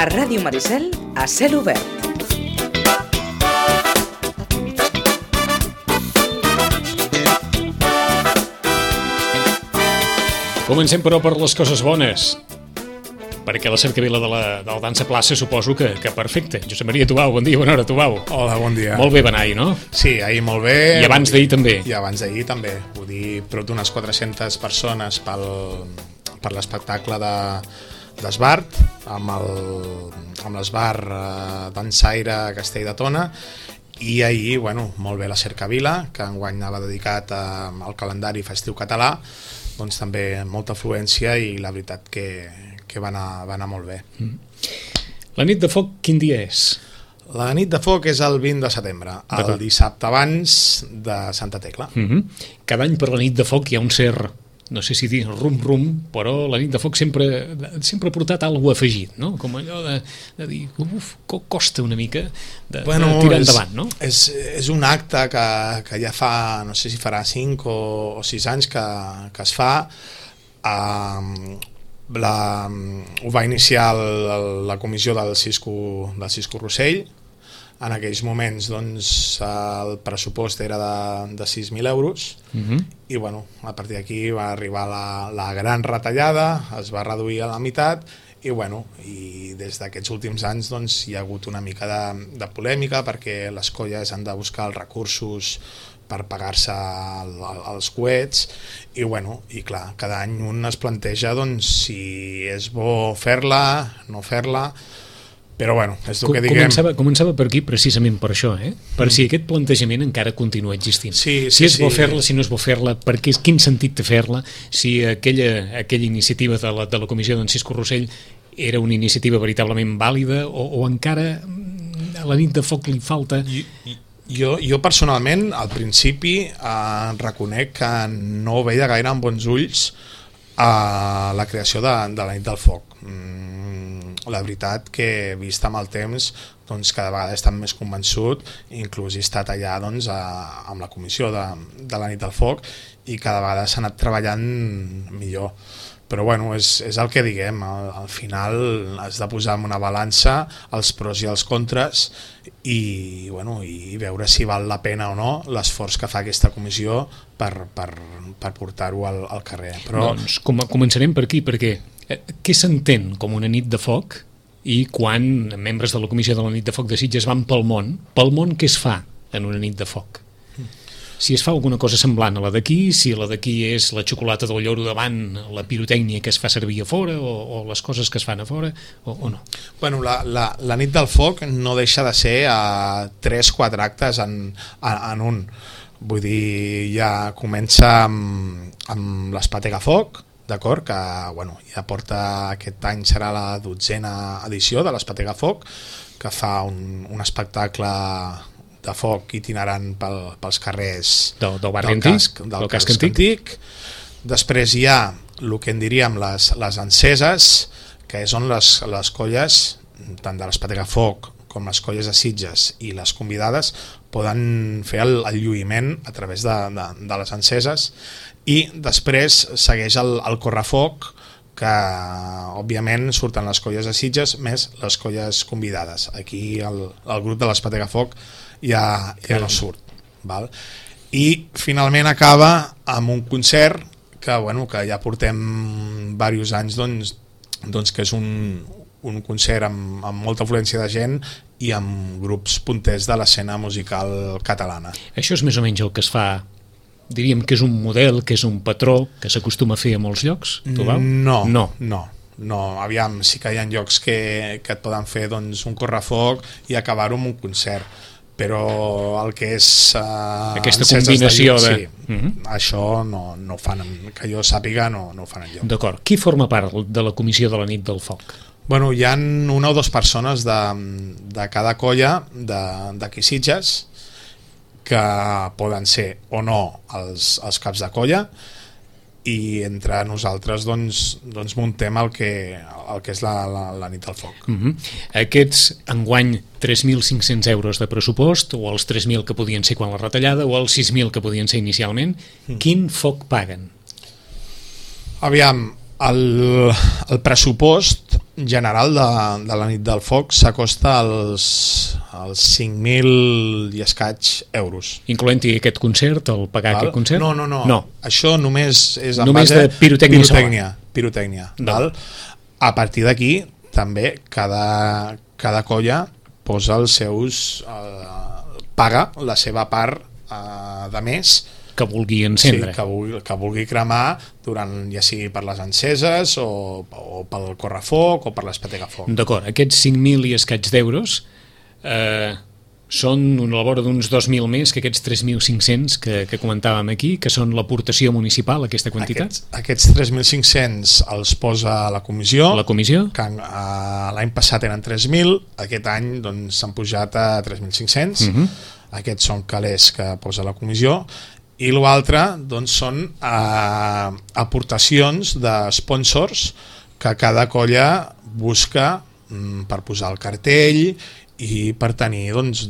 A Ràdio Maricel, a cel obert. Comencem, però, per les coses bones, perquè la cercavila de la dansa plaça suposo que perfecte. Josep Maria Tubau, bon dia, bona hora, Tubau. Hola, bon dia. Molt bé va anar ahir, no? Sí, ahir molt bé. I abans d'ahir també. I abans d'ahir també. Vull dir, prop d'unes 400 persones per l'espectacle d'Esbart, amb l'Esbar Dansaire Castell de Tona. I ahir, bueno, molt bé la cercavila, que enguany anava dedicat al calendari festiu català, doncs també molta afluència i la veritat que va anar molt bé. La nit de foc quin dia és? La nit de foc és el 20 de setembre, el dissabte abans de Santa Tecla. Cada any per la nit de foc hi ha un cert, no sé si dir rum-rum, però la nit de foc sempre ha portat alguna cosa afegit, no? Com allò de dir, costa una mica de tirar endavant, no? És un acte que ja fa, no sé si farà 5 o 6 anys que es fa. Ho va iniciar la comissió del Cisco Rossell. En aquells moments doncs, el pressupost era de 6.000 euros i bueno, a partir d'aquí va arribar la gran retallada, es va reduir a la meitat i bueno, i des d'aquests últims anys doncs, hi ha hagut una mica de polèmica perquè les colles han de buscar els recursos per pagar-se els coets i bueno, i clar, cada any un es planteja doncs, si és bo fer-la, no fer-la. Però bueno, és el que diguem... Començava per aquí precisament per això, per si aquest plantejament encara continua existint. Si és bo fer-la, si no és bo fer-la, quin sentit té fer-la, si aquella iniciativa de la comissió d'en Cisco Rossell era una iniciativa veritablement vàlida o encara a la nit de foc li falta... Jo personalment, al principi, reconec que no veia gaire amb bons ulls la creació de la nit del foc. La veritat que vist amb el temps doncs cada vegada he estat més convençut, inclús he estat allà doncs, amb la comissió de la nit del foc i cada vegada s'ha anat treballant millor, però bueno, és el que diguem, al final has de posar en una balança els pros i els contres i veure si val la pena o no l'esforç que fa aquesta comissió per portar-ho al carrer. Però... Doncs començarem per aquí, perquè què s'entén com una nit de foc i quan membres de la comissió de la nit de foc de Sitges van pel món què es fa en una nit de foc? Si es fa alguna cosa semblant a la d'aquí, si la d'aquí és la xocolata del lloro davant, la pirotècnia que es fa servir a fora o les coses que es fan a fora o no? Bueno, la nit del foc no deixa de ser 3-4 actes en un. Vull dir, ja comença amb l'Espatega Foc, d'acord, que bueno, ja porta aquest any serà la 12a edició de l'Espatega Foc, que fa un espectacle de foc itinerant pels carrers del casc antic. Després hi ha el que en diríem les enceses, que són les colles tant de l'Espatega Foc com les colles de Sitges i les convidades poden fer el lluïment a través de les enceses, i després segueix el correfoc, que òbviament surten les colles de Sitges més les colles convidades. Aquí el grup de l'Espatega Foc ja no surt, val? I finalment acaba amb un concert que ja portem diversos anys doncs que és un concert amb molta afluència de gent i amb grups punters de l'escena musical catalana. Això és més o menys el que es fa, diríem que és un model, que és un patró que s'acostuma a fer a molts llocs? No, aviam, sí que hi ha llocs que et poden fer doncs, un correfoc i acabar-ho amb un concert, però el que és aquesta combinació sí, això no fan, que jo sàpiga no ho fan enlloc. D'acord, qui forma part de la comissió de la nit del foc? Bueno, hi ha 1 o 2 persones de cada colla d'aquí Sitges que poden ser o no els caps de colla, i entre nosaltres doncs muntem el que és la nit del foc. Aquests enguany 3.500 euros de pressupost, o els 3.000 que podien ser quan la retallada, o els 6.000 que podien ser inicialment, quin foc paguen? Aviam, el pressupost general de la nit del foc s'acosta als 5.000 i escaig euros. Incloent-hi aquest concert, el pagar aquest concert? No. Això només és en només base de pirotècnia. Val? A partir d'aquí, també, cada colla posa els seus... paga la seva part de més que vulgui encendre. Sí, que vulgui cremar durant, ja sigui per les enceses o pel correfoc o per l'espetegafoc. D'acord, aquests 5.000 i escaig d'euros són a la vora d'uns 2.000 més que aquests 3.500 que comentàvem aquí, que són l'aportació municipal, aquesta quantitat? Aquests 3.500 els posa la comissió. La comissió? Que l'any passat eren 3.000, aquest any doncs, s'han pujat a 3.500. Aquests són calés que posa la comissió. I l'altre doncs, són aportacions de sponsors que cada colla busca per posar el cartell i per tenir doncs,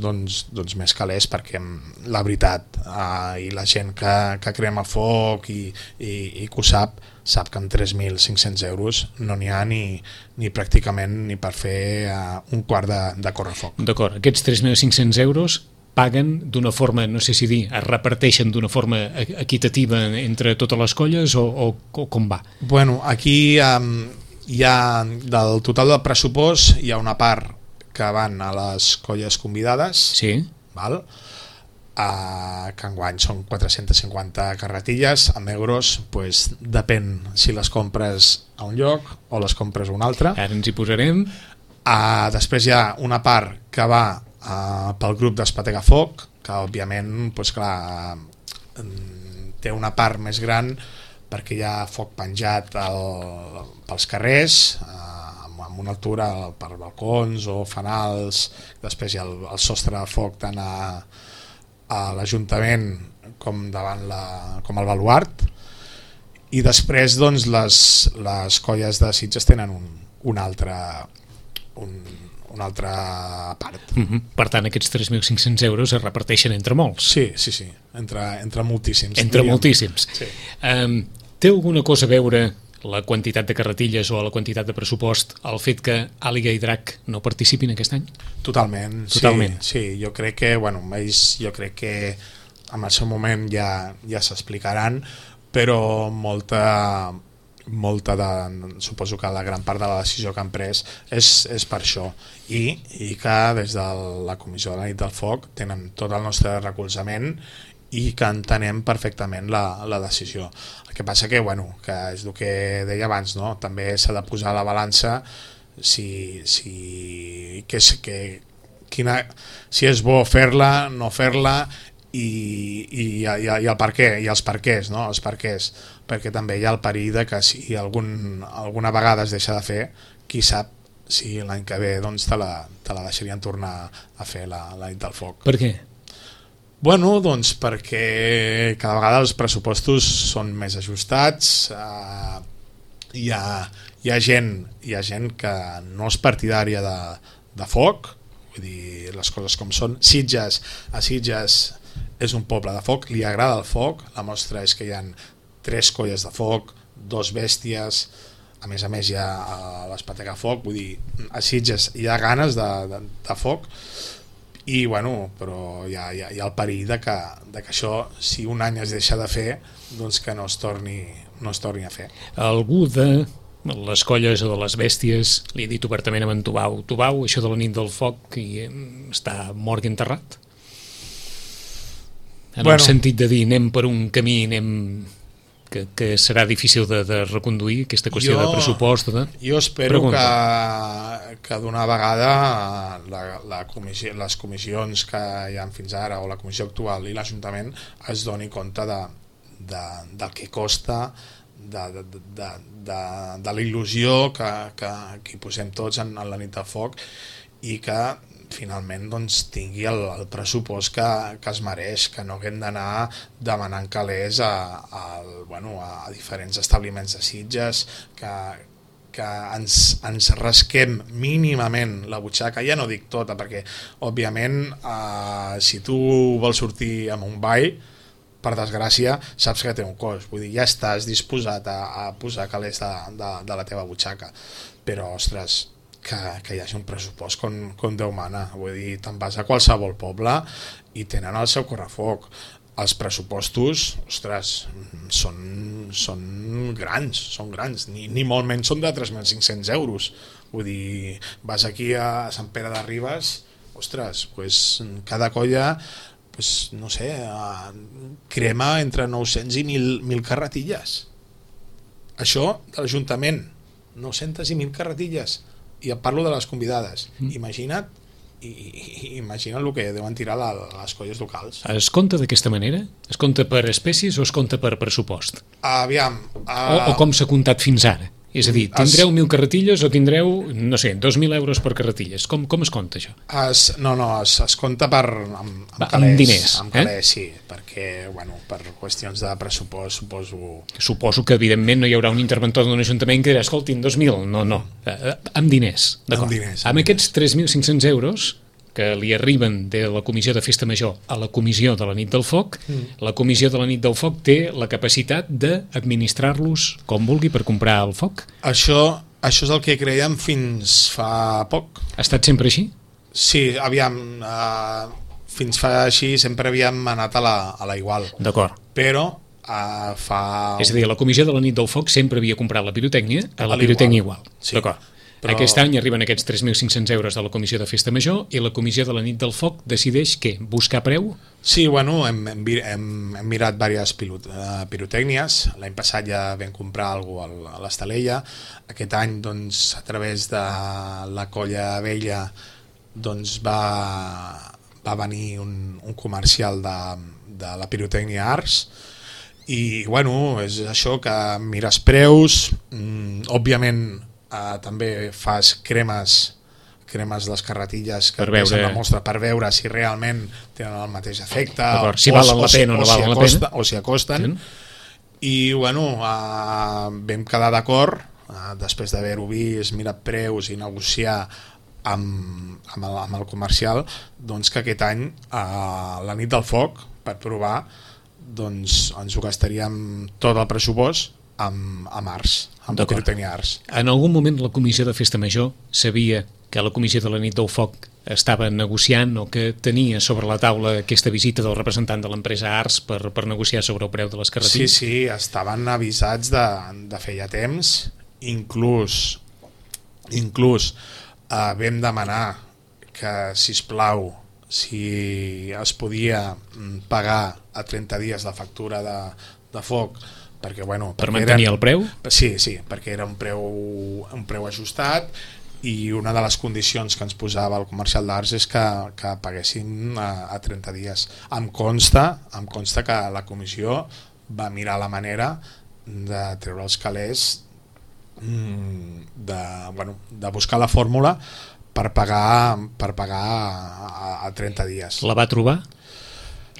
més calés, perquè la veritat i la gent que crema foc i que ho sap que amb 3.500 euros no n'hi ha ni pràcticament ni per fer un quart de correfoc. D'acord, aquests 3.500 euros paguen d'una forma, no sé si dir, es reparteixen d'una forma equitativa entre totes les colles o com va? Bueno, aquí hi ha, del total del pressupost, hi ha una part que van a les colles convidades, sí. Val? Que enguany són 450 carretilles, amb euros pues, depèn si les compres a un lloc o les compres a un altre. Ara ens hi posarem. Després hi ha una part que va pel grup d'Espetegafoc, que òbviament pues, clar, té una part més gran perquè hi ha foc penjat pels carrers, amb una altura per balcons o fanals. Després hi ha el sostre de foc tant a l'Ajuntament com davant com al baluart, i després doncs, les colles de Sitges tenen una altra part. Per tant, aquests 3.500 euros es reparteixen entre molts. Sí, entre moltíssims. Entre moltíssims. Sí. Té alguna cosa a veure la quantitat de carretilles o la quantitat de pressupost el fet que Àliga i Drac no participin aquest any? Totalment. Sí, jo crec que jo crec que en el seu moment ja s'explicaran, però suposo que la gran part de la decisió que han pres és per això, i que des de la Comissió de la Nit del Foc tenen tot el nostre recolzament i que entenem perfectament la decisió. El que passa que és el que deia abans, no? També s'ha de posar a la balança si és bo fer-la, no fer-la, i el per què, i els perquès, no? Els perquès, perquè també hi ha el perill de que si alguna vegada es deixa de fer, qui sap si l'any que ve doncs, te la deixarien tornar a fer la Nit del Foc. Per què? Bueno, doncs perquè cada vegada els pressupostos són més ajustats, hi ha gent que no és partidària de foc, vull dir, les coses com són. A Sitges és un poble de foc, li agrada el foc, la mostra és que hi ha 3 colles de foc, 2 bèsties, a més hi ha l'Espetegafoc, vull dir, a Sitges hi ha ganes de foc, i però hi ha el perill de que això, si un any es deixa de fer, doncs que no es torni a fer. Algú de les colles o de les bèsties li ha dit obertament a en Tubau, això de la Nit del Foc està mort i enterrat? En el sentit de dir, anem per un camí, que serà difícil de reconduir, aquesta qüestió de pressupost. Jo espero que d'una vegada les comissions que hi ha fins ara, o la comissió actual i l'Ajuntament, es doni compte del que costa, de la il·lusió que hi posem tots en la Nit del Foc, i que finalment doncs, tingui el pressupost que es mereix, que no haguem d'anar demanant calés a diferents establiments de Sitges, que ens rasquem mínimament la butxaca. Ja no dic tota, perquè òbviament si tu vols sortir amb un ball per desgràcia, saps que té un cost. Vull dir, ja estàs disposat a posar calés de la teva butxaca. Però, ostres, que hi hagi un pressupost com Déu mana. Vull dir, te'n vas a qualsevol poble i tenen el seu correfoc. Els pressupostos, ostres, són grans, ni molt menys són de 3.500 euros. Vull dir, vas aquí a Sant Pere de Ribes, ostres, pues, cada colla, pues, no sé, crema entre 900 i 1.000 carretilles. Això de l'Ajuntament, 900 i 1.000 carretilles, i et parlo de les convidades. Imagina't el que deuen tirar les colles locals. Es compta d'aquesta manera? Es compta per espècies o es compta per pressupost? Aviam... O com s'ha comptat fins ara? És a dir, tindreu 1.000 carretilles o tindreu, no sé, 2.000 euros per carretilles? Com es compta això? Es compta amb calés. Amb diners. Amb calés, sí, perquè, bueno, per qüestions de pressupost, suposo... Suposo que, evidentment, no hi haurà un interventor d'un ajuntament que dirà, escolti'm, 2.000, no. Amb diners, d'acord. Amb aquests 3.500 euros que li arriben de la Comissió de Festa Major a la Comissió de la Nit del Foc, la Comissió de la Nit del Foc té la capacitat d'administrar-los com vulgui per comprar el foc? Això és el que creiem fins fa poc. Ha estat sempre així? Sí, aviam, fins fa així sempre havíem anat a la igual. D'acord. Però És a dir, la Comissió de la Nit del Foc sempre havia comprat la pirotècnia a la pirotècnia igual. Sí. D'acord. Però... Aquest any arriben aquests 3.500 euros de la Comissió de Festa Major i la Comissió de la Nit del Foc decideix què? Buscar preu? Sí, bueno, hem mirat diverses pirotècnies. L'any passat ja vam comprar alguna cosa a l'Estalella. Aquest any, doncs, a través de la Colla Vella, doncs, va venir un comercial de la pirotècnia Ars. I, bueno, és això que mires preus, òbviament també fas cremes les carretilles que veure... la mostra per veure si realment tenen el mateix efecte si valen la pena o no valen la pena o si acosten. I bueno, vam quedar d'acord després d'haver-ho vist, mirat preus i negociar amb el comercial, doncs que aquest any a la Nit del Foc, per provar, doncs ens ho gastaríem tot el pressupost amb Ars, amb la pirotècnia Ars. En algun moment la Comissió de Festa Major sabia que la Comissió de la Nit del Foc estava negociant o que tenia sobre la taula aquesta visita del representant de l'empresa Ars per negociar sobre el preu de les carretilles? Sí, estaven avisats de feia temps, inclús vam demanar que, sisplau, si es podia pagar a 30 dies la factura de foc, perquè, bueno, per mantenir el preu? Sí, perquè era un preu ajustat, i una de les condicions que ens posava el comercial d'Arts és que paguessin a 30 dies. Em consta que la comissió va mirar la manera de treure els calés, de buscar la fórmula per pagar a 30 dies. La va trobar?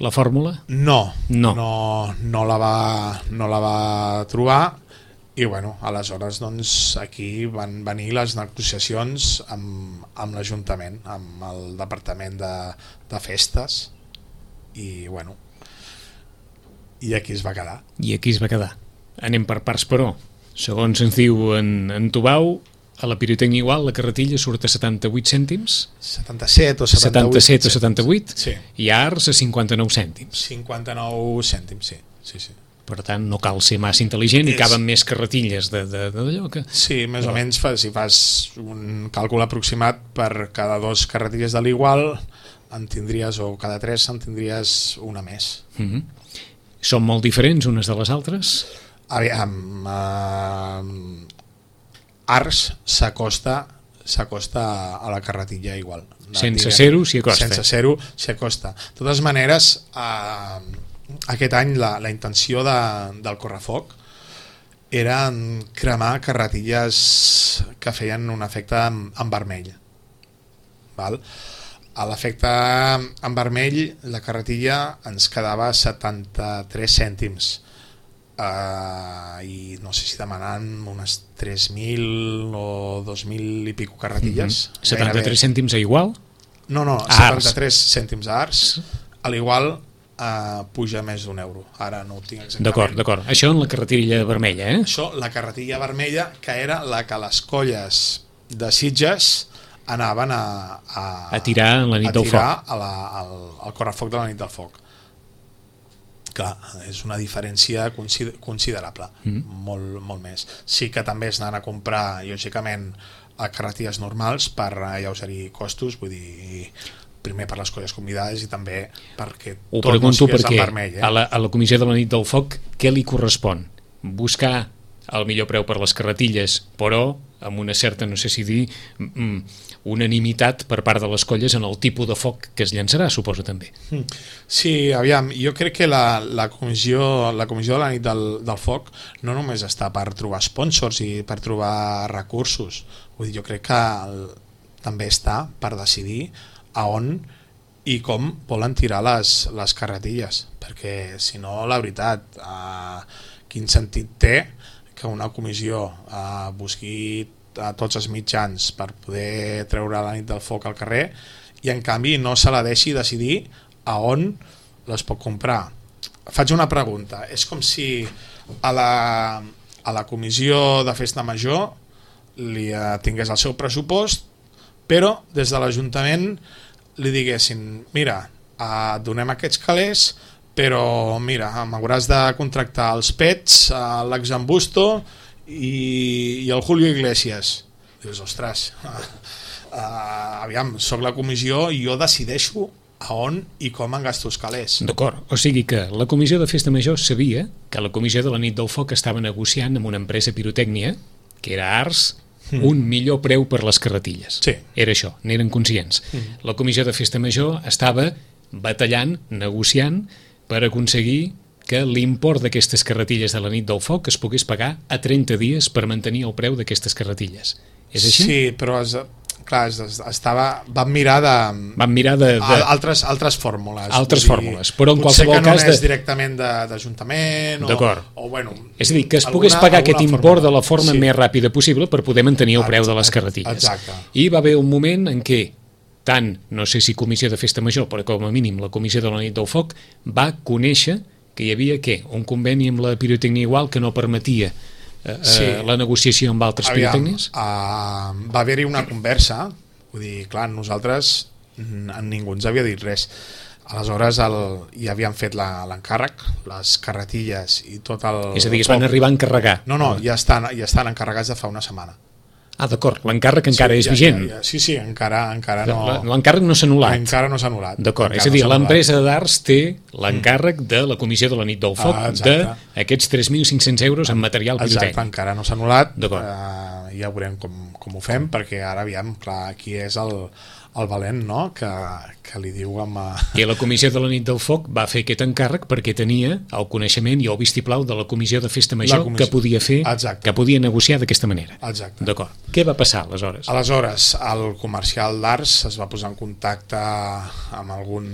La fórmula? No la va trobar, i bueno, aleshores doncs aquí van venir les negociacions amb l'Ajuntament, amb el Departament de Festes, i bueno, i aquí es va quedar. Anem per parts, però segons ens diu en Tubau, a la pirotècnia igual la carretilla surt a 78 cèntims, 77 o 78, sí. I Ars a 59 cèntims. 59 cèntims, sí. Per tant, no cal ser massa intel·ligent i caben més carretilles d'allò que... Sí, més o menys, si fas un càlcul aproximat, per cada 2 carretilles de l'igual en tindries, o cada 3 en tindries una més. Són molt diferents unes de les altres? Aviam, Ars s'acosta a la carretilla igual. Sense ser-ho s'hi acosta. Sense ser-ho s'hi acosta. De totes maneres, aquest any la intenció del correfoc era cremar carretilles que feien un efecte en vermell. Val? A l'efecte en vermell, la carretilla ens quedava 73 cèntims. I no sé si demanant unes 3.000 o 2.000 i pico carretilles. 73 cèntims a igual? No, 73 cèntims a Ars. A l'igual puja més d'1 euro. Ara no ho tinc exactament. D'acord. Això en la carretilla vermella, Això, la carretilla vermella, que era la que les colles de Sitges anaven a tirar en la nit del foc. Al correfoc de la nit del foc. Clar, és una diferència considerable, molt, molt més. Sí que també es anaven a comprar, lògicament, a carretilles normals per alleugerir costos, vull dir, primer per les colles convidades i també perquè tot no sigués en vermell. A la comissió de la nit del foc, què li correspon? Buscar el millor preu per les carretilles, però amb una certa, no sé si dir, unanimitat per part de les colles en el tipus de foc que es llançarà, suposo també. Sí, aviam, jo crec que la comissió de la nit del foc no només està per trobar sponsors i per trobar recursos, vull dir, jo crec que també està per decidir a on i com volen tirar les carretilles, perquè si no, la veritat, quin sentit té que una comissió busqui a tots els mitjans per poder treure la nit del foc al carrer i en canvi no se la deixi decidir a on les pot comprar. Faig una pregunta, és com si a la comissió de festa major li tingués el seu pressupost, però des de l'Ajuntament li diguessin, mira, et donem aquests calés, però mira, m'hauràs de contractar els Pets, l'Exambusto i el Julio Iglesias. Dius, ostres, aviam, soc la comissió i jo decideixo a on i com em gasto els calés. D'acord, o sigui que la comissió de festa major sabia que la comissió de la nit del foc estava negociant amb una empresa pirotècnia, que era Ars, un millor preu per les carretilles. Sí. Era això, n'eren conscients. La comissió de festa major estava batallant, negociant, per aconseguir que l'import d'aquestes carretilles de la nit del foc es pogués pagar a 30 dies per mantenir el preu d'aquestes carretilles. És així? Sí, però clar, van mirar de altres fórmules. Altres fórmules, però en qualsevol cas... Potser que no és directament d'Ajuntament o bueno... És a dir, que es pogués pagar aquest import de la forma més ràpida possible per poder mantenir el preu de les carretilles. Exacte. I va haver un moment en què tant, no sé si comissió de festa major, però com a mínim la comissió de la nit del foc va conèixer que hi havia un conveni amb la pirotècnia igual que no permetia la negociació amb altres pirotècnies? Va haver-hi una conversa, vull dir, clar, nosaltres ningú ens havia dit res. Aleshores ja havien fet l'encàrrec, les carretilles i tot el... És a dir, es van arribar a encarregar? No, ja estan encarregats de fa una setmana. Ah, d'acord, l'encàrrec encara és vigent. Sí, encara no... L'encàrrec no s'ha anul·lat. Encara no s'ha anul·lat. D'acord, és a dir, l'empresa d'Ars té l'encàrrec de la comissió de la nit del foc d'aquests 3.500 euros en material pirotècnic. Exacte, encara no s'ha anul·lat. Ja veurem com ho fem, perquè ara, aviam, clar, aquí és el valent, no?, que li diu amb... I la comissió de la nit del foc va fer aquest encàrrec perquè tenia el coneixement i el vistiplau de la comissió de festa major que podia fer, que podia negociar d'aquesta manera. Exacte. D'acord. Què va passar aleshores? Aleshores, el comercial d'Ars es va posar en contacte amb algun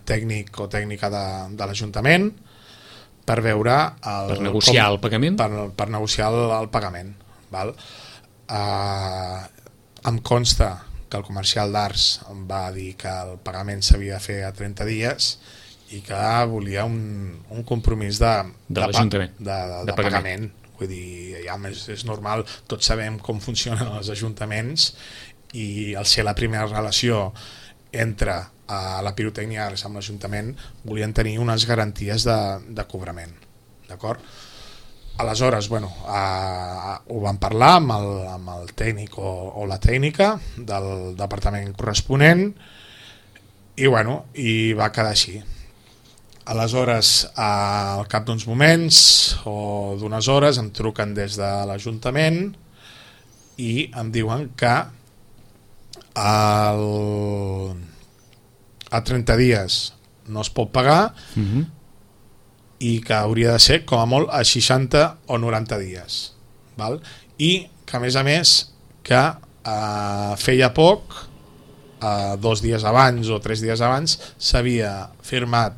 tècnic o tècnica de l'Ajuntament per veure... Per negociar el pagament? Per negociar el pagament. Val? Em consta que el comercial d'Ars va dir que el pagament s'havia de fer a 30 dies i que volia un compromís de l'Ajuntament, de pagament. Vull dir, ja és normal, tots sabem com funcionen els ajuntaments i al ser la primera relació entre la pirotècnia Ars amb l'Ajuntament volien tenir unes garanties de cobrament. D'acord? Aleshores, bueno, ho vam parlar amb el tècnic o la tècnica del departament corresponent i va quedar així. Aleshores, al cap d'uns moments o d'unes hores em truquen des de l'Ajuntament i em diuen que a 30 dies no es pot pagar i que hauria de ser com a molt a 60 o 90 dies, val? I que a més que feia poc, 2 dies abans o 3 dies abans s'havia firmat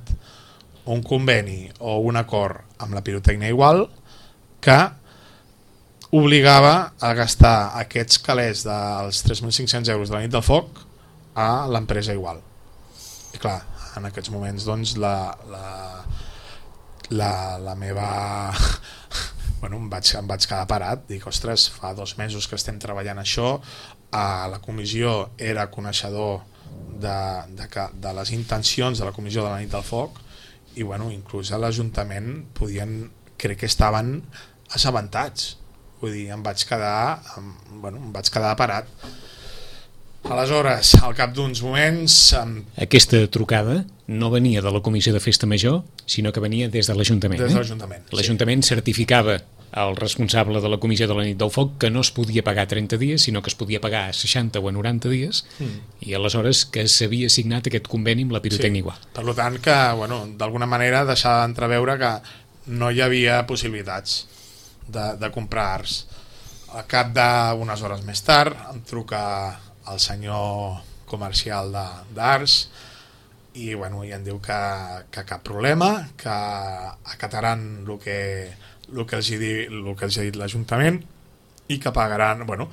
un conveni o un acord amb la pirotècnia igual que obligava a gastar aquests calés dels 3.500 euros de la nit del foc a l'empresa igual. I clar, en aquests moments doncs la meva bueno, em vaig quedar parat, dic, ostres, fa 2 mesos que estem treballant això, la comissió era coneixedor de les intencions de la comissió de la nit del foc i bueno, inclús a l'Ajuntament crec que estaven assabentats, vull dir, em vaig quedar parat. Aleshores, al cap d'uns moments... Aquesta trucada no venia de la Comissió de Festa Major, sinó que venia des de l'Ajuntament. Des de l'Ajuntament, sí. L'Ajuntament certificava al responsable de la Comissió de la nit del foc que no es podia pagar 30 dies, sinó que es podia pagar a 60 o a 90 dies, i aleshores que s'havia signat aquest conveni amb la pirotècnia igual. Per tant, que bueno, d'alguna manera deixava d'entreveure que no hi havia possibilitats de comprar arts. Al cap d'unes hores més tard em truca el senyor comercial d'arts i bueno, i em diu que cap problema, que acataran el que els ha dit l'Ajuntament i que pagaran, bueno,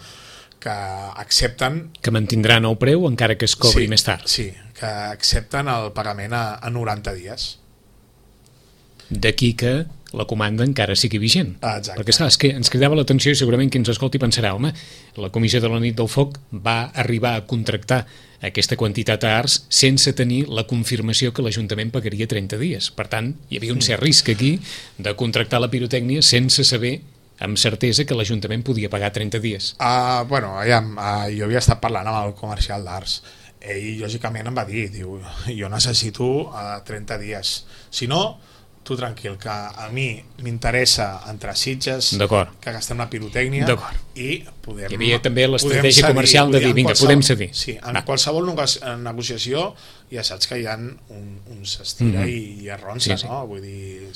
que accepten... Que mantindran el preu encara que es cobri més tard. Sí, que accepten el pagament a 90 dies. D'aquí que la comanda encara sigui vigent. Exacte. Perquè és que ens cridava l'atenció i segurament qui ens escolti pensarà, home, la Comissió de la nit del foc va arribar a contractar aquesta quantitat d'arts sense tenir la confirmació que l'Ajuntament pagaria 30 dies. Per tant, hi havia un cert risc aquí de contractar la pirotècnia sense saber amb certesa que l'Ajuntament podia pagar 30 dies. Bueno, jo havia estat parlant amb el comercial d'arts. Ell, lògicament, em va dir, diu, jo necessito 30 dies. Si no, tu tranquil, que a mi m'interessa entrar a Sitges, que gastem la pirotècnia i podem... Hi havia també l'estratègia comercial de dir, vinga, podem cedir. Sí, en qualsevol negociació ja saps que hi ha un s'estira i arronsa, no? Vull dir...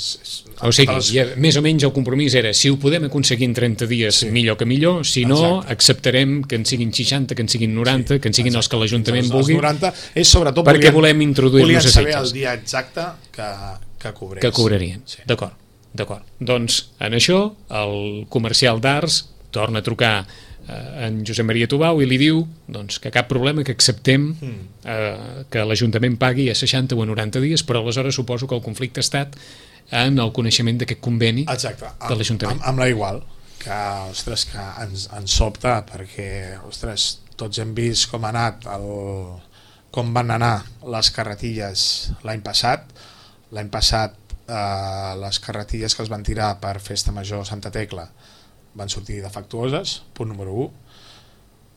O sigui, més o menys el compromís era, si ho podem aconseguir en 30 dies, millor que millor, si no, acceptarem que en siguin 60, que en siguin 90, que en siguin els que l'Ajuntament vulgui, perquè volem introduir-nos a Sitges. Volien saber el dia exacte que cobrarien. D'acord. Doncs en això el comercial d'arts torna a trucar en Josep Maria Tubau i li diu doncs, que cap problema, que acceptem que l'Ajuntament pagui a 60 o a 90 dies, però aleshores suposo que el conflicte ha estat en el coneixement d'aquest conveni de l'Ajuntament. Amb la Igual, que, ostres, que ens sobta, perquè, ostres, tots hem vist com ha anat com van anar les carretilles l'any passat. L'any passat les carretilles que es van tirar per Festa Major Santa Tecla van sortir defectuoses, punt número 1.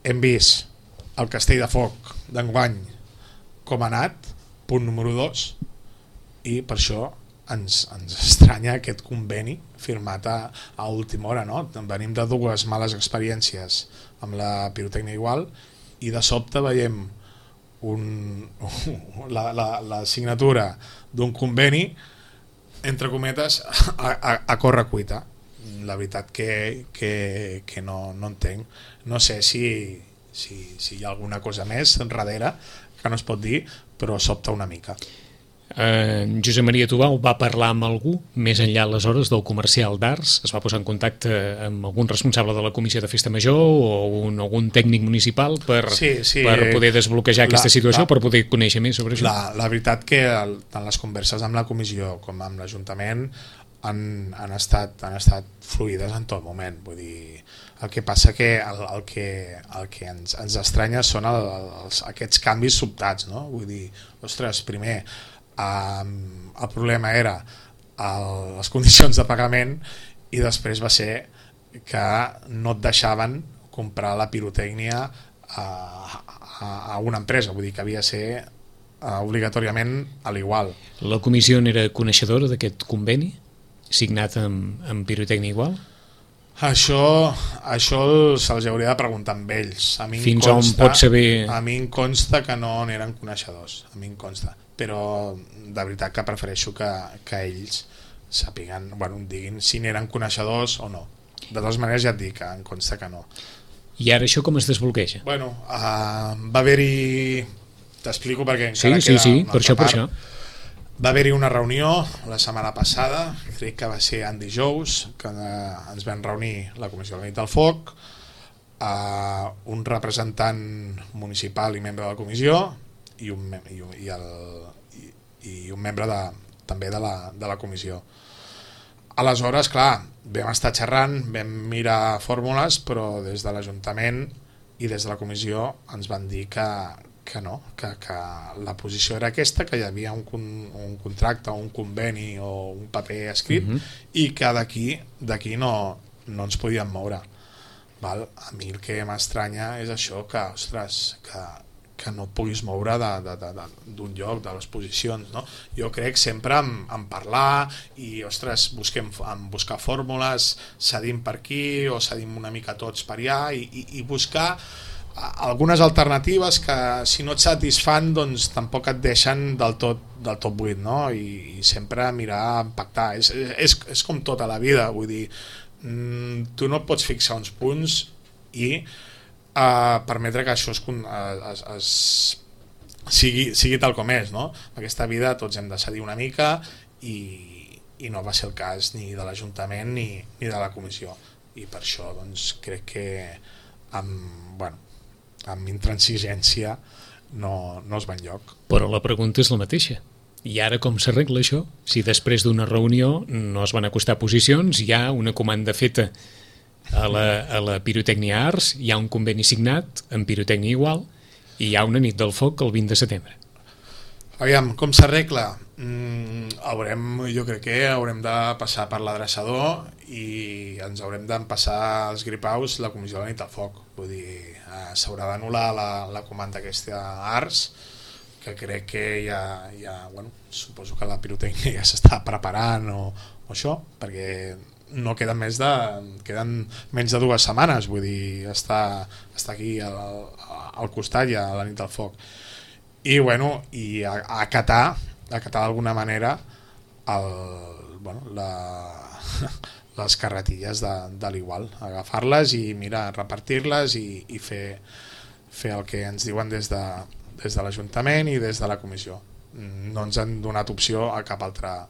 Hem vist el Castell de Foc d'enguany com ha anat, punt número 2, i per això ens estranya aquest conveni firmat a última hora, no? Venim de 2 males experiències amb la pirotècnia Igual i de sobte veiem la signatura d'un conveni entre cometes a corre cuita. La veritat que no entenc. No sé si hi ha alguna cosa més darrere que no es pot dir, però sobta una mica. Josep Maria Tubau va parlar amb algú més enllà aleshores del comercial d'arts, es va posar en contacte amb algun responsable de la Comissió de Festa Major o algun tècnic municipal per poder desbloquejar aquesta situació, per poder conèixer més sobre això. La veritat que tant les converses amb la Comissió com amb l'Ajuntament han estat fluides en tot moment. Vull dir, el que passa que el que ens estranya són aquests canvis sobtats, no? Vull dir, ostres, primer el problema era les condicions de pagament i després va ser que no et deixaven comprar la pirotècnia a una empresa, vull dir que havia de ser obligatòriament a l'Igual. La comissió n'era coneixedora d'aquest conveni signat amb pirotècnia Igual? Això se'ls hauria de preguntar amb ells. Fins on pot saber... A mi em consta que no n'eren coneixedors, a mi em consta, però de veritat que prefereixo que ells sàpiguen, bueno, em diguin si n'eren coneixedors o no. De totes maneres ja et dic que em consta que no. I ara això com es desbloqueja? Bueno, va haver-hi... T'explico perquè encara queda una per altra això. Va haver-hi una reunió la setmana passada, crec que va ser en dijous, que ens vam reunir la Comissió de la Nit del Foc, un representant municipal i membre de la comissió i i un membre també de la comissió. Aleshores, clar, vam estar xerrant, vam mirar fórmules, però des de l'Ajuntament i des de la comissió ens van dir que no, que la posició era aquesta, que hi havia un contracte, un conveni o un paper escrit i que d'aquí no ens podíem moure. Val? A mi el que m'estranya és això, que, ostres, que no et puguis moure d'un lloc, de les posicions, no? Jo crec sempre en parlar i, ostres, buscar fórmules, cedim per aquí o cedim una mica tots per allà i buscar algunes alternatives que, si no et satisfan, doncs tampoc et deixen del tot buit, no? I sempre mirar, pactar. És com tota la vida, vull dir, tu no pots fixar uns punts i permetre que això sigui tal com és, no? En aquesta vida tots hem de cedir una mica i no va ser el cas ni de l'Ajuntament ni de la comissió, i per això doncs crec que amb intransigència no es va enlloc. Però la pregunta és la mateixa. I ara com s'arregla això? Si després d'una reunió no es van acostar posicions, hi ha una comanda feta a la Pirotècnia Arts, hi ha un conveni signat amb Pirotècnia Igual i hi ha una nit del foc el 20 de setembre. Aviam, com s'arregla? Jo crec que haurem de passar per l'adreçador i ens haurem d'empassar els gripaus la comissió de la nit del foc. Vull dir, s'haurà d'anul·lar la comanda aquesta Arts, que crec que ja suposo que la pirotècnia ja s'està preparant o això, perquè no queden menys de 2 setmanes, vull dir, està aquí al costat ja a la nit del foc. I acatar d'alguna manera les carretilles de l'Igual, agafar-les i repartir-les i fer el que ens diuen des de l'Ajuntament i des de la comissió. No ens han donat opció a cap altra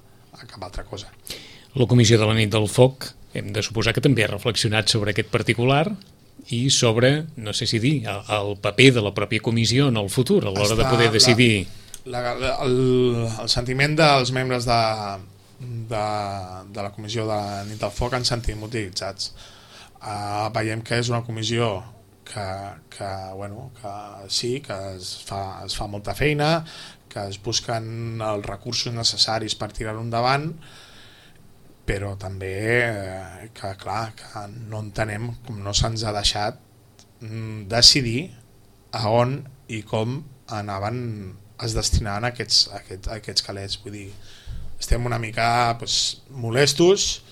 cosa. La comissió de la nit del foc hem de suposar que també ha reflexionat sobre aquest particular i sobre, no sé si dir, el paper de la pròpia comissió en el futur a l'hora de poder decidir. El sentiment dels membres de la comissió de la nit del foc ens sentim utilitzats. Veiem que és una comissió que sí, que es fa molta feina, que es busquen els recursos necessaris per tirar-ho endavant, però també que no entenem com no se'ns ha deixat decidir a on i com es destinaven aquests calés. Vull dir, estem una mica molestos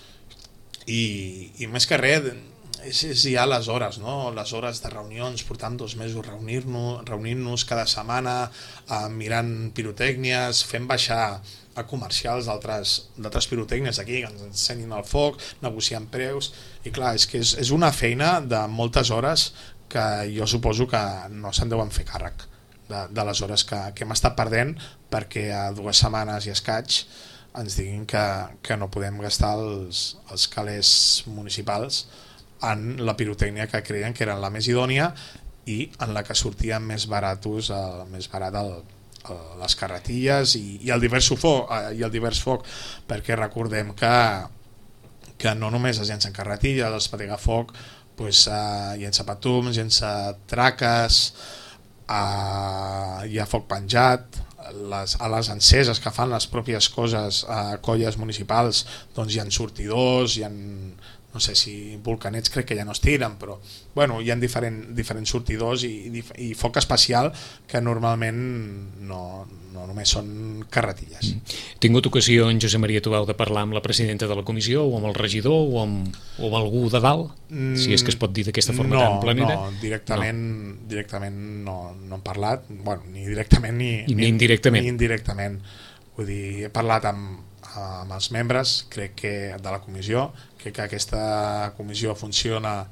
i més que res és ja les hores, no? Les hores de reunions, portant 2 mesos reunint-nos cada setmana, mirant pirotècnies, fent baixar a comercials d'altres pirotècnies aquí que ens ensenyin el foc, negociant preus, i clar, és que és una feina de moltes hores que jo suposo que no se'n deuen fer càrrec de les hores que hem estat perdent perquè a 2 setmanes i escaig ens diguin que no podem gastar els calés municipals en la pirotècnia que creien que era la més idònia i en la que sortien més barat les carretilles i el divers foc, perquè recordem que no només es llencen carretilles, els pategafoc llença patums, llença traques, hi ha foc penjat, a les enceses que fan les pròpies colles municipals, doncs hi ha sortidors, hi ha, no sé si volcanets crec que ja no es tiren, però hi ha diferents sortidors i foc especial que normalment no només són carretilles. He tingut ocasió, en Josep Maria Tubau, de parlar amb la presidenta de la comissió o amb el regidor o amb algú de dalt, si és que es pot dir d'aquesta forma tan planera? No, directament no hem parlat, ni directament ni indirectament. Vull dir, he parlat amb els membres, crec que de la comissió, crec que aquesta comissió funciona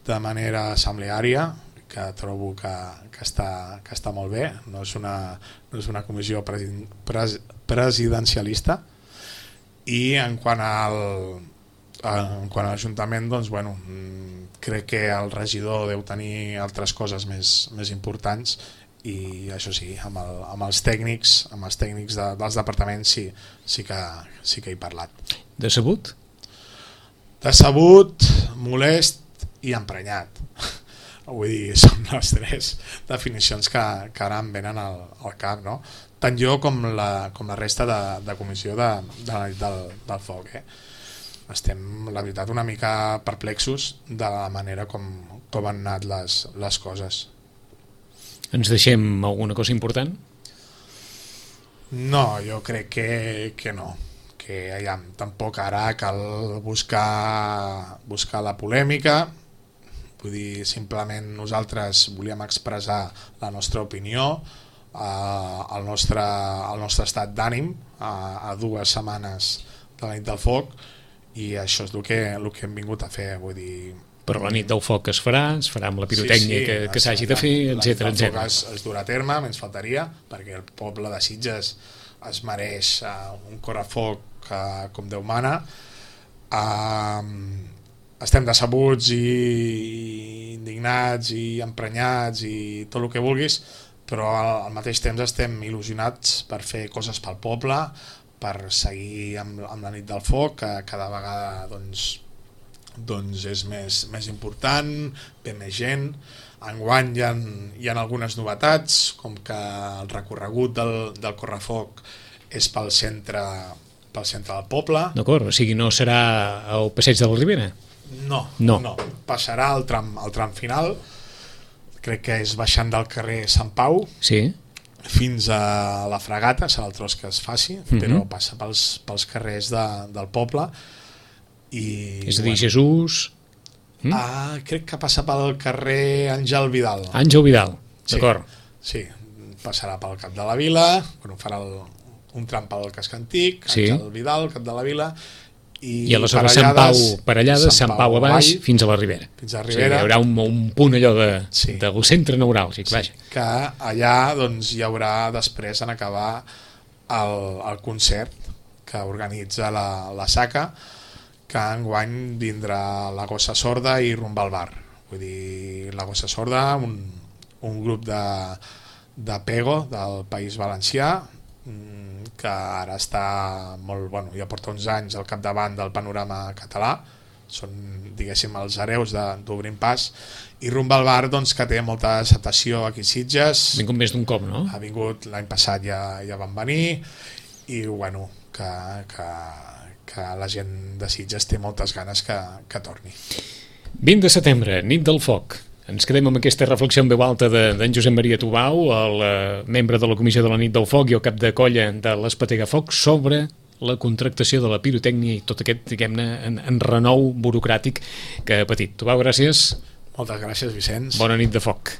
de manera assembleària, que trobo que està molt bé, no és una comissió presidencialista, i en quant a l'Ajuntament, doncs, crec que el regidor deu tenir altres coses més importants i això sí, amb els tècnics dels departaments sí que he parlat. Decebut? Decebut, molest i emprenyat. Vull dir, són les 3 definicions que ara em venen al cap, no? Tant jo com la resta de comissió de la nit del foc. Estem, la veritat, una mica perplexos de la manera com han anat les coses. Ens deixem alguna cosa important? No, jo crec que no. Que tampoc ara cal buscar la polèmica. Vull dir, simplement nosaltres volíem expressar la nostra opinió, el nostre estat d'ànim a 2 setmanes de la nit del foc, i això és el que hem vingut a fer. Vull dir, però la nit del foc es farà amb la pirotècnia que s'hagi de fer, etc. La nit del foc es durà a terme, ens faltaria, perquè el poble de Sitges es mereix un correfoc com Déu mana. Estem decebuts i indignats i emprenyats i tot el que vulguis, però al mateix temps estem il·lusionats per fer coses pel poble, per seguir amb la nit del foc, que cada vegada doncs és més important, ve més gent. Enguany hi ha algunes novetats, com que el recorregut del correfoc és pel centre del poble. D'acord, o sigui, no serà al passeig de la Ribera? No. Passarà al tram final, crec que és baixant del carrer Sant Pau, sí, fins a la Fragata, serà el tros que es faci, però passa pels carrers del poble. És a dir, Jesús... Crec que passa pel carrer Àngel Vidal. Àngel Vidal, d'acord. Sí, passarà pel Cap de la Vila, farà un tram pel casc antic, Àngel Vidal, Cap de la Vila, i aleshores Sant Pau parellades, Sant Pau a baix, fins a la Ribera. Fins a la Ribera. O sigui, hi haurà un punt allò del centre neuràlgic, vaja. Que allà hi haurà després, en acabar, el concert que organitza la SACA, que enguany vindrà la Gossa Sorda i Rumba al Bar. Vull dir, la Gossa Sorda, un grup de Pego del País Valencià, que ara està molt, ja porta uns anys al capdavant del panorama català, són, diguéssim, els hereus d'Obrim Pas, i Rumba al Bar, doncs, que té molta acceptació aquí a Sitges. Ha vingut més d'un cop, no? Ha vingut, l'any passat ja van venir, i que la gent de Sitges té moltes ganes que torni. 20 de setembre, nit del foc. Ens quedem amb aquesta reflexió en veu alta d'en Josep Maria Tubau, el membre de la Comissió de la Nit del Foc i el cap de colla de l'Espatega Foc, sobre la contractació de la pirotècnia i tot aquest, diguem-ne, en renou burocràtic que ha patit. Tubau, gràcies. Moltes gràcies, Vicenç. Bona nit de foc.